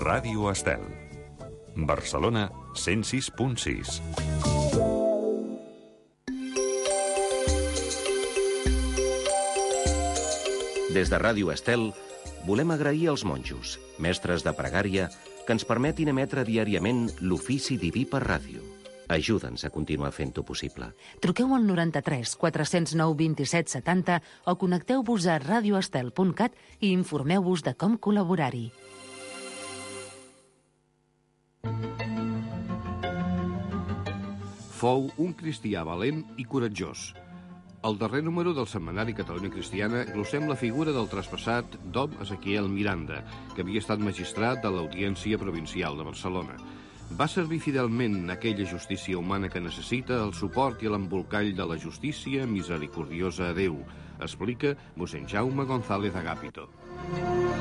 Ràdio Estel. Barcelona 106.6. Des de Ràdio Estel volem agrair als monjos, mestres de pregària, que ens permetin emetre diàriament l'ofici diví per ràdio. Ajuda'ns a continuar fent-ho possible. Truqueu al 93 409 27 70 o connecteu-vos a radioestel.cat i informeu-vos de com col·laborar-hi. Fou un cristià valent i coratjós. Al darrer número del setmanari Catalunya Cristiana glossem la figura del traspassat Dom Ezequiel Miranda, que havia estat magistrat de l'Audiència Provincial de Barcelona. Va servir fidelment aquella justícia humana que necessita el suport i l'embolcall de la justícia misericordiosa a Déu, explica mossèn Jaume González Agapito.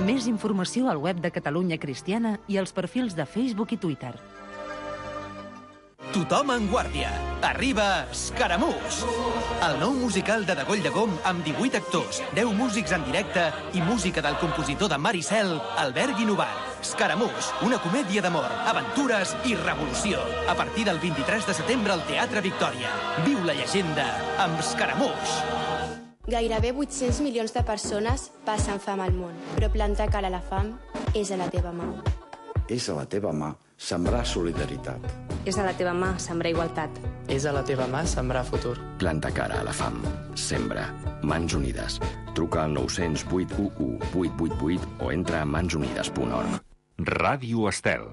Més informació al web de Catalunya Cristiana i als perfils de Facebook i Twitter. Tothom en guàrdia. Arriba Escaramús! El nou musical de Degoll de Gom amb 18 actors, 10 músics en directe i música del compositor de Maricel, Albert Guinovart. Escaramús, una comèdia d'amor, aventures i revolució. A partir del 23 de setembre al Teatre Victòria. Viu la llegenda amb Escaramús! Gairebé 800 milions de persones passen fam al món, però plantar cara a la fam és a la teva mà. És a la teva mà sembrar solidaritat. És a la teva mà sembrar igualtat. És a la teva mà sembrar futur. Planta cara a la fam. Sembra. Mans Unides. Truca al 900 811 888 o entra a mansunides.org. Ràdio Estel.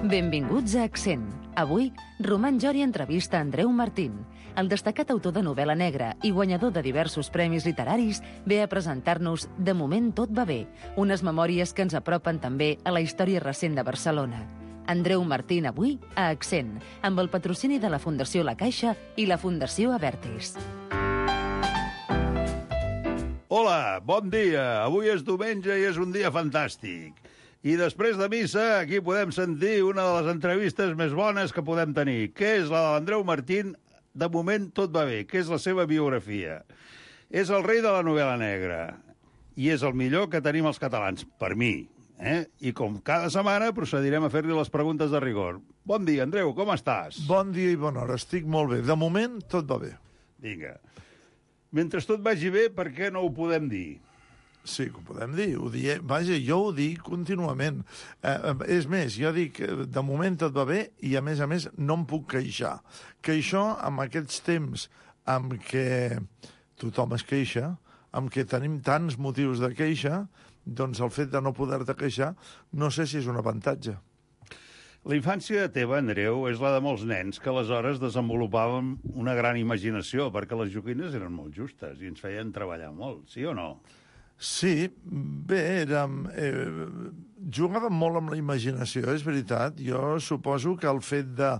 Benvinguts a Accent. Avui, Roman Jori entrevista Andreu Martín. El destacat autor de novel·la negra i guanyador de diversos premis literaris ve a presentar-nos De moment tot va bé, unes memòries que ens apropen també a la història recent de Barcelona. Andreu Martín avui a Accent, amb el patrocini de la Fundació La Caixa i la Fundació Abertis. Hola, bon dia. Avui és diumenge i és un dia fantàstic. I després de missa, aquí podem sentir una de les entrevistes més bones que podem tenir, que és la de l'Andreu Martín. De moment tot va bé, que és la seva biografia. És el rei de la novel·la negra i és el millor que tenim els catalans, per mi. I com cada setmana procedirem a fer-li les preguntes de rigor. Bon dia, Andreu, com estàs? Bon dia i bona hora, estic molt bé. De moment tot va bé. Vinga. Mentre tot vagi bé, per què no ho podem dir? Sí, que ho podem dir. Vaja, jo ho dic contínuament. És més, jo dic de moment tot va bé i, a més, no em puc queixar. Que això, amb aquests temps amb què tothom es queixa, amb què tenim tants motius de queixa, doncs el fet de no poder-te queixar no sé si és un avantatge. La infància teva, Andreu, és la de molts nens que aleshores desenvolupàvem una gran imaginació perquè les joguines eren molt justes i ens feien treballar molt, sí o no? Sí, bé, jugàvem molt amb la imaginació, és veritat. Jo suposo que el fet de,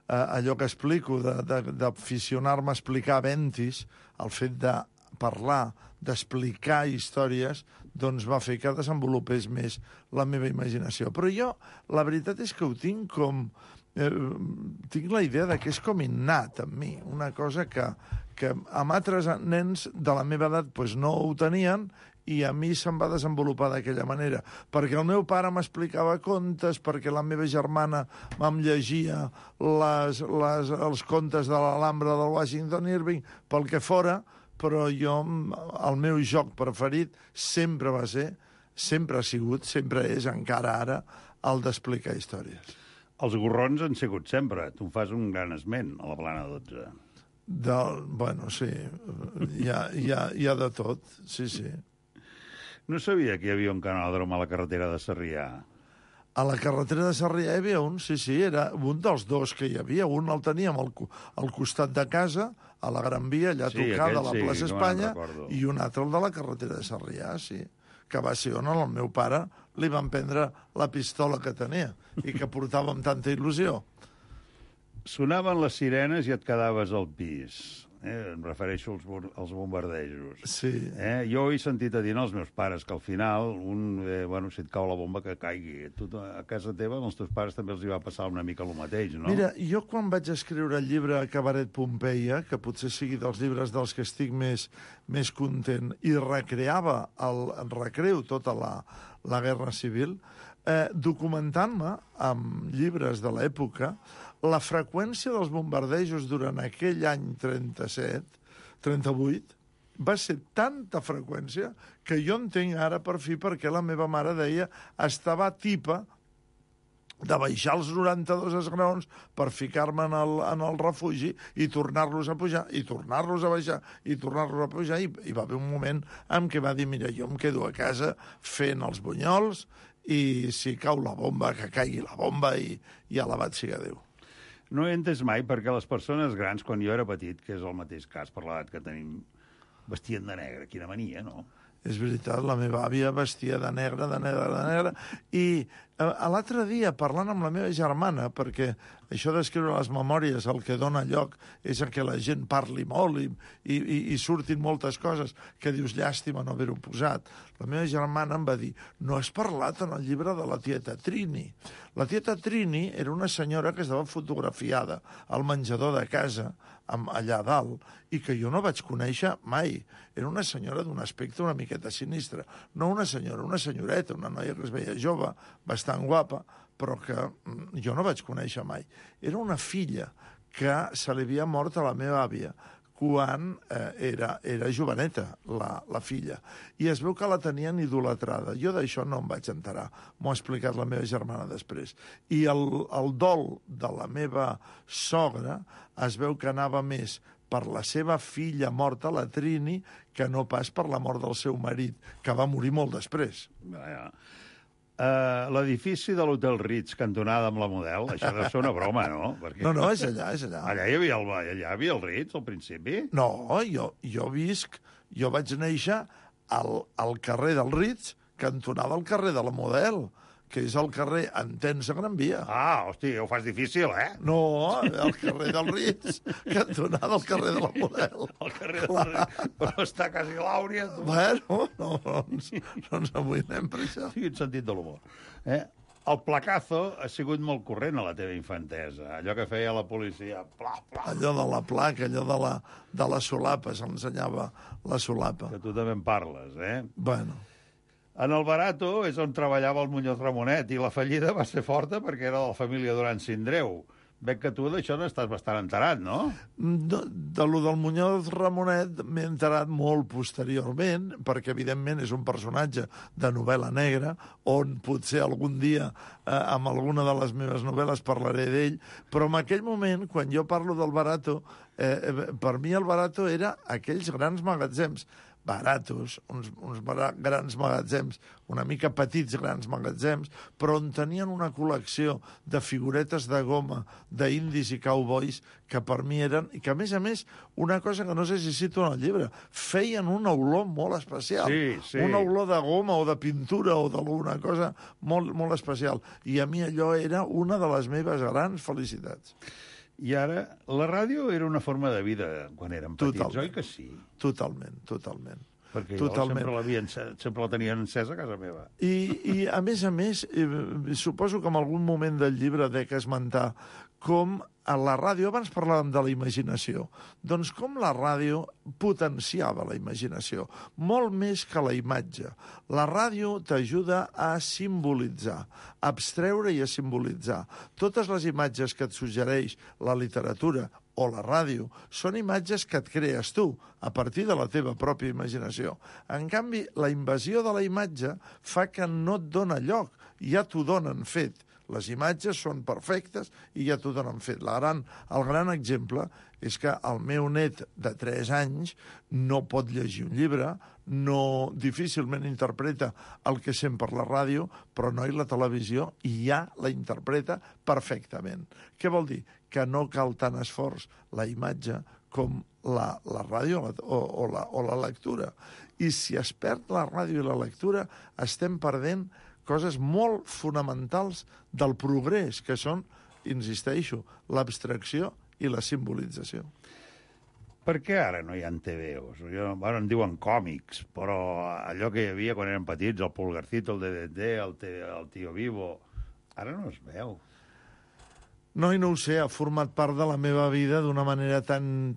allò que explico, d'aficionar-me a explicar aventis, el fet de parlar, d'explicar històries, doncs va fer que desenvolupés més la meva imaginació. Però jo, la veritat és que ho tinc com... tinc la idea de que és com innat en mi, una cosa que amb altres nens de la meva edat doncs no ho tenien i a mi se'm va desenvolupar d'aquella manera. Perquè el meu pare m'explicava contes, perquè la meva germana em llegia els contes de l'Alhambra del Washington Irving, pel que fora, però jo, el meu joc preferit sempre va ser, sempre ha sigut, sempre és, encara ara, el d'explicar històries. Els gorrons han sigut sempre. Tu fas un gran esment a la Plana 12. Bueno, sí, hi ha de tot, sí, sí. No sabia que hi havia un canòdrom a la carretera de Sarrià. A la carretera de Sarrià hi havia un, sí, era un dels dos que hi havia. Un el teníem al costat de casa, a la Gran Via, allà tocada a la plaça Espanya, i un altre el de la carretera de Sarrià, sí, que va ser on al meu pare li van prendre la pistola que tenia i que portava amb tanta il·lusió. Sonaven les sirenes i et quedaves al pis. em refereixo als bombardejos. Sí. Jo he sentit a dir als meus pares que al final, si et cau la bomba, que caigui. Tu, a casa teva, als teus pares també els hi va passar una mica el mateix, no? Mira, jo quan vaig escriure el llibre Cabaret Pompeia, que potser sigui dels llibres dels que estic més content, i recreava recreo tota la Guerra Civil, documentant-me amb llibres de l'època la freqüència dels bombardejos durant aquell any 38 va ser tanta freqüència que jo entenc ara per fi perquè la meva mare deia estava tipa de baixar els 92 esgraons per ficar-me en el refugi i tornar-los a pujar, i tornar-los a baixar, i tornar-los a pujar, i va haver un moment en què va dir, mira, jo em quedo a casa fent els bunyols i si cau la bomba, que caigui la bomba i alabat siga Déu. No he entès mai perquè les persones grans, quan jo era petit, que és el mateix cas per l'edat que tenim, vestien de negre. Quina mania, no? És veritat, la meva àvia vestia de negre, i l'altre dia, parlant amb la meva germana, perquè això d'escriure les memòries el que dona lloc és que la gent parli molt i surtin moltes coses que dius llàstima no haver-ho posat. La meva germana em va dir, no has parlat en el llibre de la tieta Trini. La tieta Trini era una senyora que estava fotografiada al menjador de casa, allà dalt, i que jo no vaig conèixer mai. Era una senyora d'un aspecte una miqueta sinistre. No una senyora, una senyoreta, una noia que es veia jove, bastant guapa, però que jo no vaig conèixer mai. Era una filla que se li havia mort a la meva àvia quan era joveneta, la filla. I es veu que la tenien idolatrada. Jo d'això no em vaig enterar. M'ho ha explicat la meva germana després. I el dol de la meva sogra es veu que anava més per la seva filla morta, la Trini, que no pas per la mort del seu marit, que va morir molt després. L'edifici de l'Hotel Ritz, cantonada amb la Model, això deu ser una broma, no? Perquè... No, és allà, és allà. Allà hi havia el Ritz, al principi? No, jo vaig néixer al carrer del Ritz, cantonada al carrer de la Model, que és el carrer Entença Gran Via. Ah, hòstia, ho fas difícil, eh? No, el carrer del Ritz, cantonada al carrer de la Model. El carrer del Ritz, però està quasi l'Àurea. Bueno, no ens amoïnem per això. Sí, en sentit de l'humor. El placazo ha sigut molt corrent a la teva infantesa. Allò que feia la policia, pla, pla. Allò de la placa, allò de la solapa, s'ensenyava la solapa. Que tu també en parles, eh? Bueno. En el Barato és on treballava el Muñoz Ramonet i la fallida va ser forta perquè era de la família Duran Sindreu. Veig que tu d'això n'estàs bastant enterat, no? De lo del Muñoz Ramonet m'he enterat molt posteriorment, perquè evidentment és un personatge de novel·la negra, on potser algun dia amb alguna de les meves novel·les parlaré d'ell, però en aquell moment, quan jo parlo del Barato, per mi el Barato era aquells grans magatzems baratos, uns grans magatzems, una mica petits grans magatzems, però on tenien una col·lecció de figuretes de goma, d'indis i cowboys, que per mi eren... I que, a més, una cosa que no sé si cito en el llibre, feien una olor molt especial. Sí. Una olor de goma o de pintura o d'alguna cosa molt, molt especial. I a mi allò era una de les meves grans felicitats. I ara, la ràdio era una forma de vida quan érem petits, oi que sí? Totalment. Perquè jo sempre la tenia encesa a casa meva. I a més, suposo que en algun moment del llibre dec esmentar com a la ràdio, abans parlàvem de la imaginació, doncs com la ràdio potenciava la imaginació, molt més que la imatge. La ràdio t'ajuda a simbolitzar, a abstreure i a simbolitzar. Totes les imatges que et suggereix la literatura o la ràdio són imatges que et crees tu, a partir de la teva pròpia imaginació. En canvi, la invasió de la imatge fa que no et dona lloc, ja t'ho donen fet. Les imatges són perfectes i ja t'ho donen fet. El gran exemple és que el meu net de 3 anys no pot llegir un llibre, difícilment interpreta el que sent per la ràdio, però no i la televisió ja la interpreta perfectament. Què vol dir? Que no cal tant esforç la imatge com la ràdio o la lectura. I si es perd la ràdio i la lectura, estem perdent coses molt fonamentals del progrés, que són, insisteixo, l'abstracció i la simbolització. Per què ara no hi ha TVOs? Bueno, en diuen còmics, però allò que hi havia quan eren petits, el Pulgarcito, el DDT, el Tío Vivo, ara no es veu. No, i no ho sé, ha format part de la meva vida d'una manera tan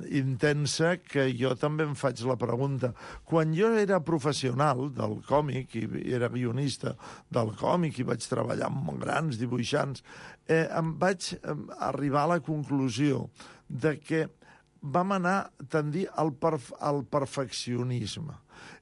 intensa que jo també em faig la pregunta. Quan jo era professional del còmic i era guionista del còmic i vaig treballar amb grans dibuixants, em vaig arribar a la conclusió de que vam anar a tendir al perfeccionisme.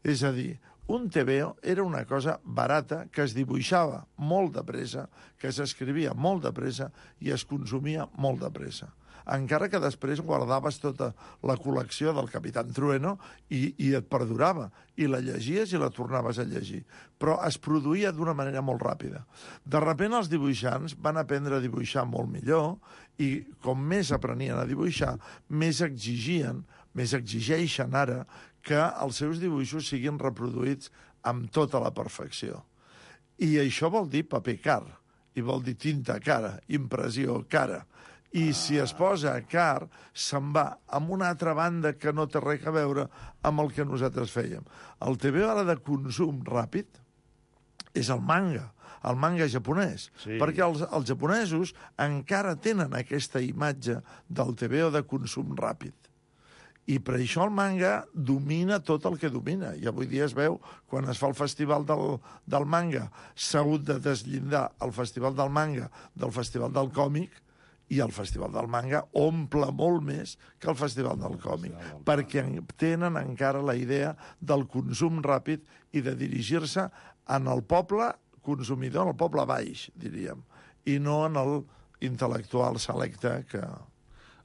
És a dir, un TVO era una cosa barata que es dibuixava molt de pressa, que s'escrivia molt de pressa i es consumia molt de pressa. Encara que després guardaves tota la col·lecció del Capitán Trueno i et perdurava, i la llegies i la tornaves a llegir. Però es produïa d'una manera molt ràpida. De sobte els dibuixants van aprendre a dibuixar molt millor i com més aprenien a dibuixar, més exigeixen ara que els seus dibuixos siguin reproduïts amb tota la perfecció. I això vol dir paper car, i vol dir tinta cara, impressió cara. I si es posa car, se'n va amb una altra banda que no té res a veure amb el que nosaltres fèiem. El TVO ara de consum ràpid és el manga japonès, sí. Perquè els japonesos encara tenen aquesta imatge del TVO de consum ràpid. I per això el manga domina tot el que domina. I avui dia es veu, quan es fa el festival del manga, s'ha hagut de desllindar el festival del manga del festival del còmic, i el festival del manga omple molt més que el festival del còmic, perquè tenen encara la idea del consum ràpid i de dirigir-se en el poble consumidor, en el poble baix, diríem, i no en el intel·lectual selecte que...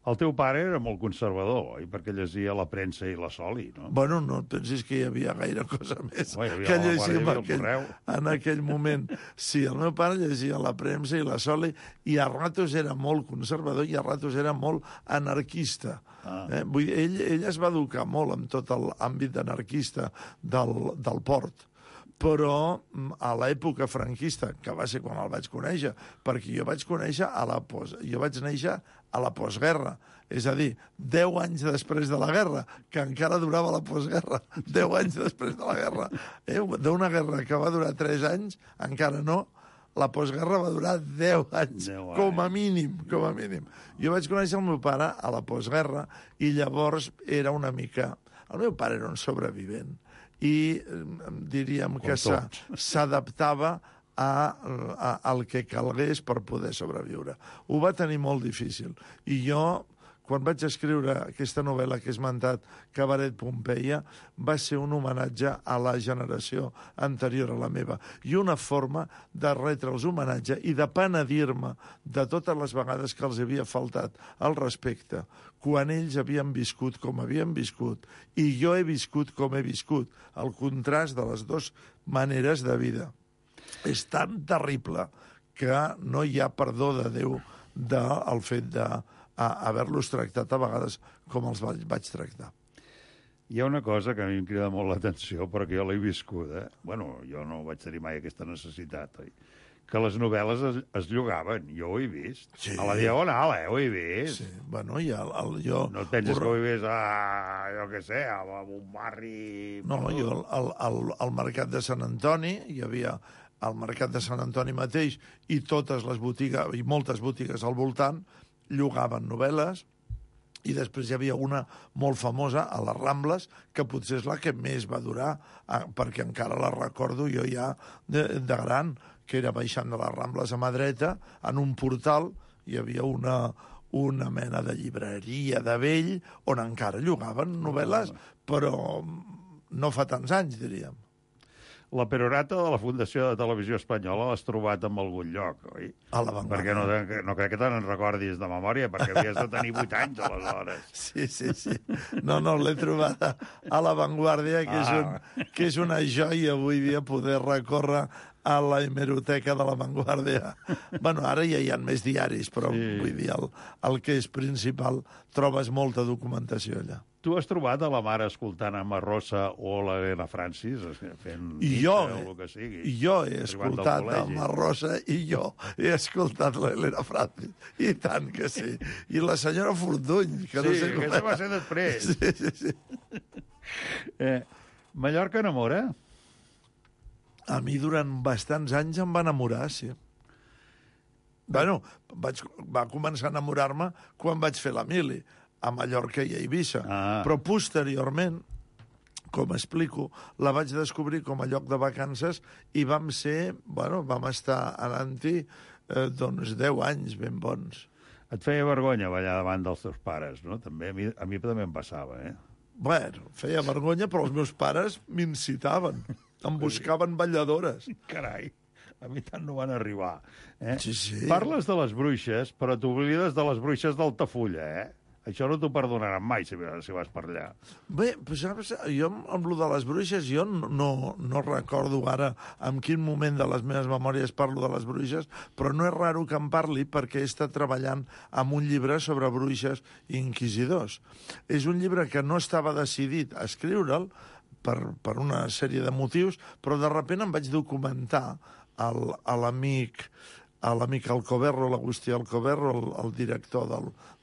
El teu pare era molt conservador, oi? Perquè llegia la premsa i la Soli, no? Bueno, no et pensis que hi havia gaire cosa més que llegir en aquell moment. Sí, el meu pare llegia la premsa i la Soli i a ratos era molt conservador i a ratos era molt anarquista. Vull dir, ell es va educar molt amb tot l'àmbit anarquista del port. Però a l'època franquista, que va ser quan el vaig conèixer, perquè jo vaig néixer a la postguerra, és a dir, 10 anys després de la guerra, que encara durava la postguerra, 10 anys després de la guerra. D'una guerra que va durar 3 anys, encara no, la postguerra va durar 10 anys, com a mínim. Jo vaig conèixer el meu pare a la postguerra i llavors era una mica... El meu pare era un sobrevivent i diríem que s'adaptava al que calgués per poder sobreviure. Ho va tenir molt difícil. I jo, quan vaig escriure aquesta novel·la que he esmentat, Cabaret Pompeia, va ser un homenatge a la generació anterior a la meva i una forma de retre'ls homenatge i de penedir-me de totes les vegades que els havia faltat al respecte quan ells havien viscut com havien viscut i jo he viscut com he viscut. El contrast de les dues maneres de vida és tan terrible que no hi ha perdó de Déu del fet d'haver-los tractat a vegades com els vaig tractar. Hi ha una cosa que a mi em crida molt l'atenció, però que jo l'he viscuda. Bueno, jo no vaig tenir mai aquesta necessitat, oi? Que les novel·les es llogaven. Jo ho he vist. Sí. A la Diagonal, ho he vist. Sí, bueno, i jo... No et penses que ho he vist a, jo què sé, a un barri... No, jo al Mercat de Sant Antoni, hi havia al Mercat de Sant Antoni mateix, i totes les botigues, i moltes botigues al voltant, llogaven novel·les, i després hi havia una molt famosa a les Rambles, que potser és la que més va durar, perquè encara la recordo jo ja de gran, que era baixant de les Rambles a mà dreta, en un portal hi havia una mena de llibreria de vell, on encara llogaven novel·les, però no fa tants anys, diríem. La perorata de la Fundació de Televisió Espanyola l'has trobat en algun lloc, oi? A La Vanguardia. Perquè no crec que te n'en recordis de memòria, perquè havies de tenir 8 anys, aleshores. Sí. No, l'he trobada a La Vanguardia, que és una joia avui dia poder recórrer a la hemeroteca de La Vanguardia. Bueno, ara ja hi ha més diaris, però vull dir, el que és principal, trobes molta documentació allà. Tu has trobat a la mare escoltant a Marrosa o l'Helena Francis fent jo, o el que sigui? I jo he escoltat a Marrosa i jo he escoltat l'Helena Francis. I tant que sí. I la senyora Fortuny, que no sé com... aquesta va ser després. Sí. Mallorca enamora? A mi durant bastants anys em va enamorar, sí. Bueno, va començar a enamorar-me quan vaig fer la mili, a Mallorca i a Eivissa. Però posteriorment, com explico, la vaig descobrir com a lloc de vacances i vam estar anant-hi doncs 10 anys ben bons. Et feia vergonya ballar davant dels teus pares, no? També, a mi també em passava, eh? Bueno, feia vergonya, però els meus pares m'incitaven. Em buscaven balladores. Carai, a mi tant no van arribar. Sí, sí. Parles de les bruixes, però t'oblides de les bruixes d'Altafulla, eh? Això no t'ho perdonaran mai, si vas per allà. Bé, saps, jo amb lo de les bruixes, jo no recordo ara en quin moment de les meves memòries parlo de les bruixes, però no és raro que em parli perquè he estat treballant amb un llibre sobre bruixes i inquisidors. És un llibre que no estava decidit a escriure'l per una sèrie de motius, però de sobte em vaig documentar a l'amic Alcoberro, l'Agustí Alcoberro, el director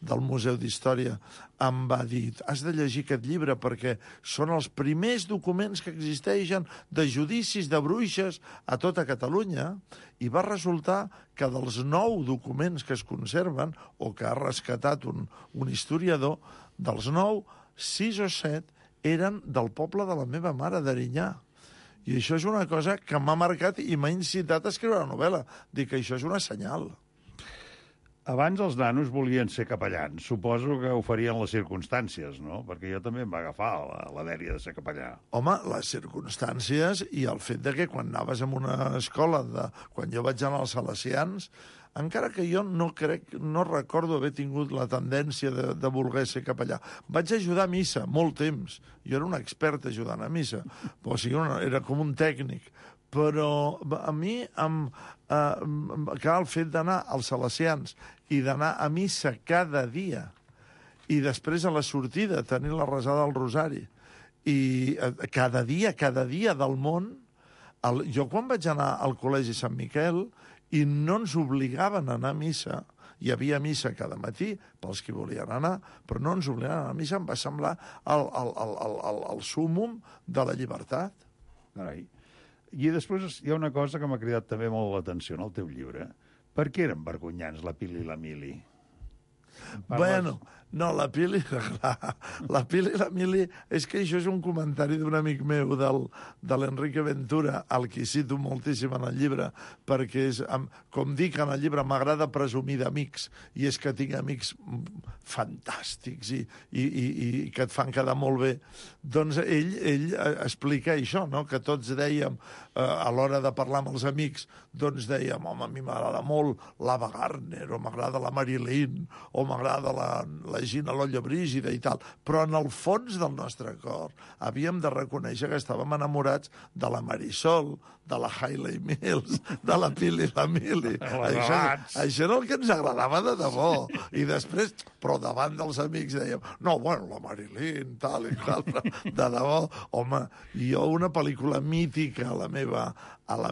del Museu d'Història, em va dir: has de llegir aquest llibre perquè són els primers documents que existeixen de judicis de bruixes a tota Catalunya, i va resultar que dels 9 documents que es conserven, o que ha rescatat un historiador, dels 9, 6 o 7 eren del poble de la meva mare, d'Erinyà. I això és una cosa que m'ha marcat i m'ha incitat a escriure la novel·la. Dic que això és una senyal. Abans els nanos volien ser capellans. Suposo que ho farien les circumstàncies, no? Perquè jo també em va agafar la dèria de ser capellà. Home, les circumstàncies i el fet de que quan anaves a una escola, quan jo vaig anar als Salesians, encara que jo no recordo haver tingut la tendència de voler ser capellà. Vaig ajudar a missa molt temps. Jo era un expert ajudant a missa. O sigui, era com un tècnic. Però a mi, el fet d'anar als Salesians i d'anar a missa cada dia i després a la sortida tenir la resada del Rosari i cada dia del món, jo quan vaig anar al Col·legi Sant Miquel i no ens obligaven a anar a missa, hi havia missa cada matí pels que volien anar, però no ens obligaven a anar a missa, em va semblar el súmmum de la llibertat. Carai. I després hi ha una cosa que m'ha cridat també molt l'atenció en el teu llibre. Per què eren vergonyants la Pili i la Mili? Bueno, no, la Pili i la Mili... És que això és un comentari d'un amic meu, de l'Enrique Ventura, al que cito moltíssim en el llibre, perquè, com dic en el llibre, m'agrada presumir d'amics, i és que tinc amics fantàstics i que et fan quedar molt bé. Doncs ell explica això, no? Que tots dèiem, a l'hora de parlar amb els amics, doncs dèiem, home, a mi m'agrada molt l'Ava Gardner, o m'agrada la Marilyn, o m'agrada la Gina Lollo Brígida i tal, però en el fons del nostre cor havíem de reconèixer que estàvem enamorats de la Marisol, de la Hayley Mills, de la Pili i la Mili. Això era el que ens agradava de debò. I després, però davant dels amics dèiem, no, bueno, la Marilyn, tal i tal, de debò. Home, jo una pel·lícula mítica a la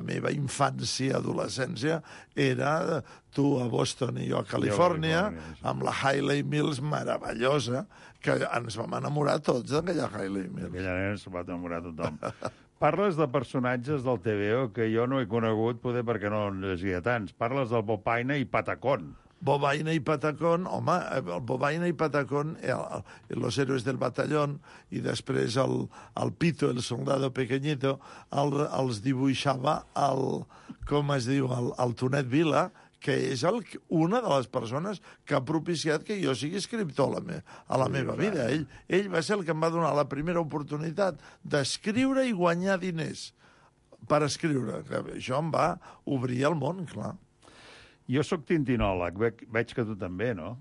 meva infància, adolescència, era Tu a Boston i jo a Califòrnia, amb la Hayley Mills meravellosa, que ens vam enamorar tots d'aquella Hayley Mills. Aquella nena s'ho va enamorar tothom. Parles de personatges del TVO que jo no he conegut, poder perquè no en llegia tants. Parles del Bobaina i Patacón. Bobaina i Patacón, home, el Bobaina i Patacón, los héroes del batallón, i després el Pito, el soldado pequeñito, els dibuixava com es diu, el Tonet Vila, que és una de les persones que ha propiciat que jo sigui escriptor a la meva vida. Ell va ser el que em va donar la primera oportunitat d'escriure i guanyar diners per escriure. Això em va obrir el món, clar. Jo sóc tintinòleg, veig que tu també, no?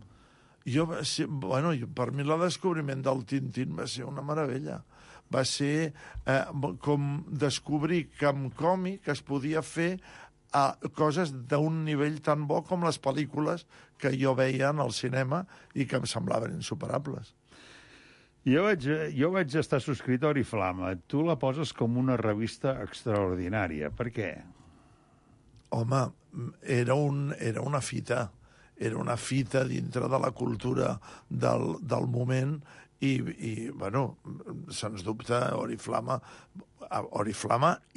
Bueno, per mi el descobriment del Tintín va ser una meravella. Va ser com descobrir que amb còmic es podia fer coses d'un nivell tan bo com les pel·lícules que jo veia en el cinema i que em semblaven insuperables. Jo vaig estar subscrit a Oriflama. Tu la poses com una revista extraordinària. Per què? Home, era una fita. Era una fita dintre de la cultura del moment i bueno, sens dubte, Oriflama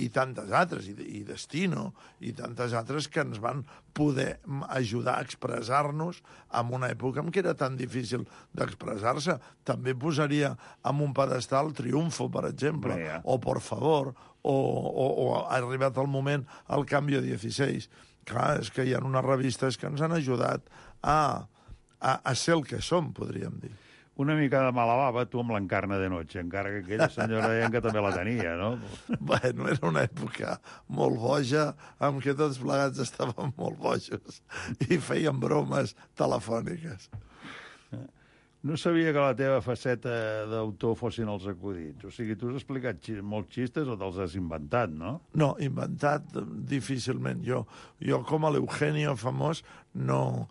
i tantes altres, i Destino, i tantes altres que ens van poder ajudar a expressar-nos en una època en què era tan difícil d'expressar-se. També posaria en un pedestal Triunfo, per exemple, o Por Favor, o ha arribat el moment al Cambio 16. Clar, és que hi ha unes revistes que ens han ajudat a ser el que som, podríem dir. Una mica de mala bava, tu amb l'Encarna de Noche, encara que aquella senyora deien que també la tenia, no? Bueno, era una època molt boja, en què tots plegats estàvem molt bojos i feien bromes telefòniques. No sabia que la teva faceta d'autor fossin els acudits. O sigui, tu has explicat molts xistes o te'ls has inventat, no? No, inventat difícilment. Jo com a l'Eugenio famós, no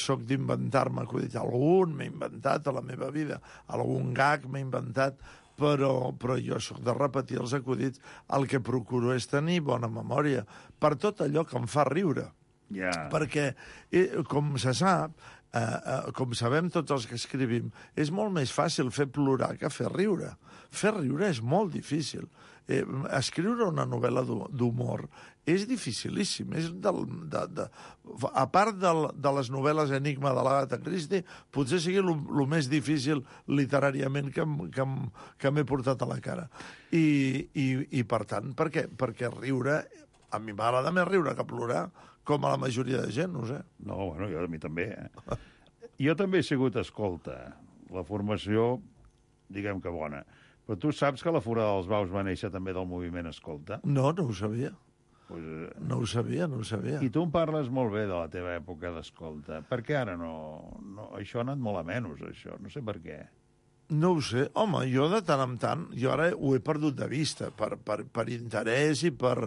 sóc d'inventar-me acudits. Algun m'he inventat a la meva vida, algun gag m'he inventat, però jo sóc de repetir els acudits. El que procuro és tenir bona memòria per tot allò que em fa riure. Perquè, com se sap, com sabem tots els que escrivim, és molt més fàcil fer plorar que fer riure. Fer riure és molt difícil. Escriure una novel·la d'humor és dificilíssim. A part de les novel·les Enigma de l'Agatha Christie, potser sigui el més difícil literàriament que m'he portat a la cara. I per tant, per què? Perquè riure, a mi m'agrada més riure que plorar, com a la majoria de gent, no sé. No, bueno, a mi també. Jo també he sigut escolta. La formació, diguem que bona. Però tu saps que la Forada dels Baus va néixer també del moviment escolta? No ho sabia. No ho sabia. I tu em parles molt bé de la teva època d'escolta. Per què ara no? Això ha anat molt a menys, això. No sé per què. No ho sé. Home, jo de tant en tant, jo ara ho he perdut de vista, per interès i per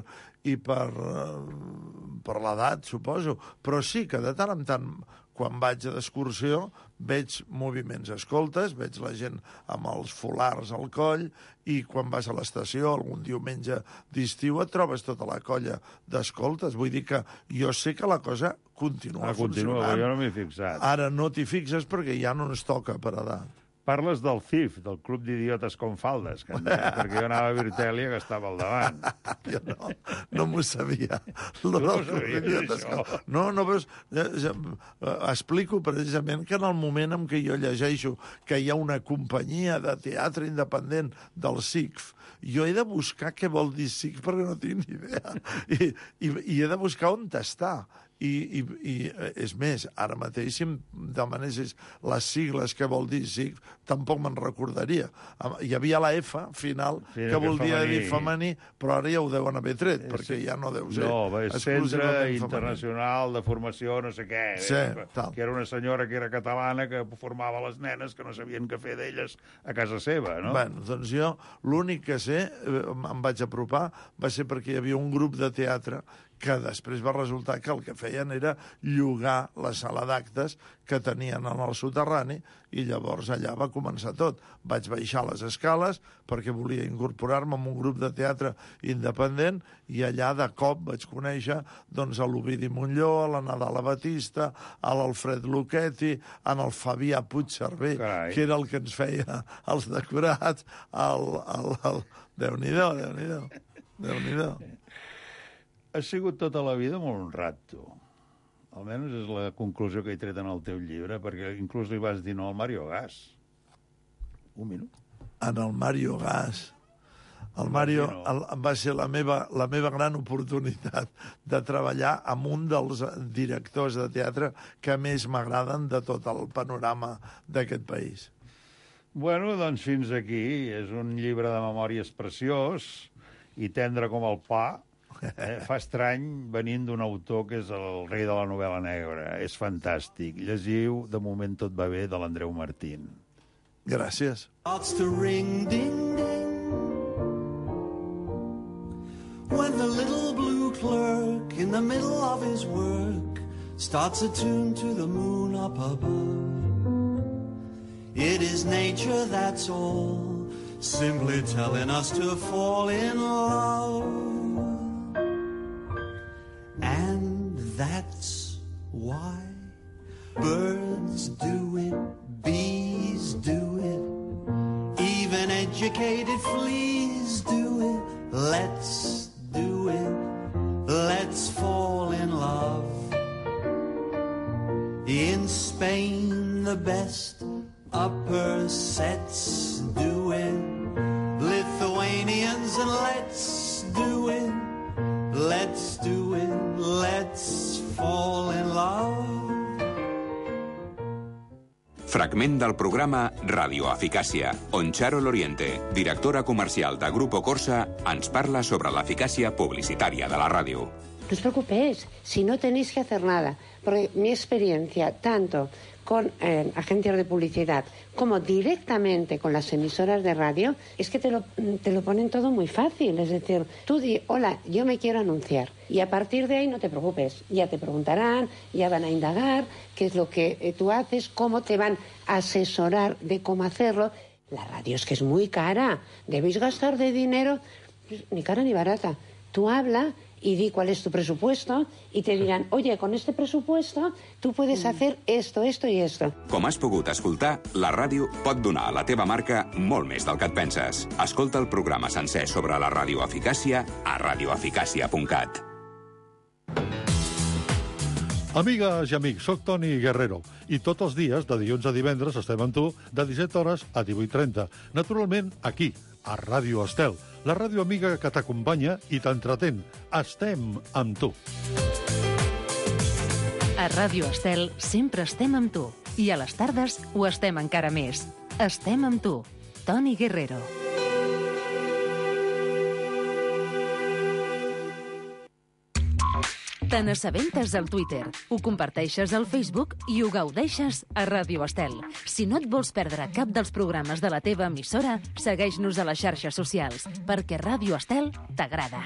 l'edat, suposo. Però sí que de tant en tant, quan vaig a d'excursió, veig moviments escoltes, veig la gent amb els folars al coll, i quan vas a l'estació, algun diumenge d'estiu, et trobes tota la colla d'escoltes. Vull dir que jo sé que la cosa continua funcionant. Continua, jo no m'he fixat. Ara no t'hi fixes perquè ja no ens toca per edat. Parles del CIF, del Club d'Idiotes con Faldes, que perquè jo anava a Virtèlia, que estava al davant. Jo no m'ho sabia. No sabies, això? No, veus, explico precisament que en el moment en què jo llegeixo que hi ha una companyia de teatre independent del SICF, jo he de buscar què vol dir SICF perquè no tinc ni idea. I he de buscar on està. I és més, ara mateix, si em demanessis les sigles que vol dir SICF, tampoc me'n recordaria. Hi havia la F final, que volia dir femení, però ara ja ho deuen haver tret, perquè ja no deu ser. No, és Centre Internacional de Formació no sé què, que era una senyora que era catalana que formava les nenes que no sabien què fer d'elles a casa seva, no? Bé, doncs jo l'únic que sé, em vaig apropar, va ser perquè hi havia un grup de teatre que després va resultar que el que feien era llogar la sala d'actes que tenien en el soterrani, i llavors allà va començar tot. Vaig baixar les escales perquè volia incorporar-me en un grup de teatre independent, i allà de cop vaig conèixer doncs, a l'Ovidi Montllor, a la Nadala Batista, a l'Alfred Lucchetti, a el Fabià Puigcerver, que era el que ens feia els decorats, Déu-n'hi-do, Déu-n'hi-do. Has sigut tota la vida molt honrat, tu. Almenys és la conclusió que he tret en el teu llibre, perquè inclús li vas dir no al Mario Gas. Un minut. En el Mario Gas. El Mario va ser la meva gran oportunitat de treballar amb un dels directors de teatre que més m'agraden de tot el panorama d'aquest país. Bueno, doncs fins aquí. És un llibre de memòries preciós i tendre com el pa. Fa estrany venint d'un autor que és el rei de la novel·la negra. És fantàstic. Llegiu De moment tot va bé, de l'Andreu Martín. Gràcies. When the little blue clerk in the middle of his work starts a tune to the moon up above. It is nature, that's all, simply telling us to fall in love. And that's why birds do it, bees do it, even educated fleas do it. Let's do it, let's fall in love. In Spain, the best upper sets do it, Lithuanians, and let's do it, let's do it, let's fall in love. Fragment del programa Radio Eficàcia, on Charo Loriente, directora comercial de Grupo Corsa, ens parla sobre l'eficàcia publicitària de la ràdio. No os preocupéis, si no tenéis que hacer nada, porque mi experiencia, tanto con agencias de publicidad como directamente con las emisoras de radio, es que te lo ponen todo muy fácil. Es decir, tú di, hola, yo me quiero anunciar. Y a partir de ahí no te preocupes. Ya te preguntarán, ya van a indagar qué es lo que tú haces, cómo te van a asesorar de cómo hacerlo. La radio es que es muy cara. Debéis gastar de dinero, ni cara ni barata. Tú habla y di cuál es tu presupuesto y te dirán, oye, con este presupuesto tú puedes hacer esto, esto i esto. Com has pogut escoltar, la ràdio pot donar a la teva marca molt més del que et penses. Escolta el programa sencer sobre la radioeficàcia a radioeficàcia.cat. Amigues i amics, soc Toni Guerrero i tots els dies, de dilluns a divendres, estem amb tu de 17 hores a 18:30. Naturalment, aquí, a Ràdio Estel, la ràdio amiga que t'acompanya i t'entretén. Estem amb tu. A Ràdio Estel sempre estem amb tu. I a les tardes ho estem encara més. Estem amb tu. Toni Guerrero. Te n'assabentes al Twitter, ho comparteixes al Facebook i ho gaudeixes a Ràdio Estel. Si no et vols perdre cap dels programes de la teva emissora, segueix-nos a les xarxes socials, perquè Ràdio Estel t'agrada.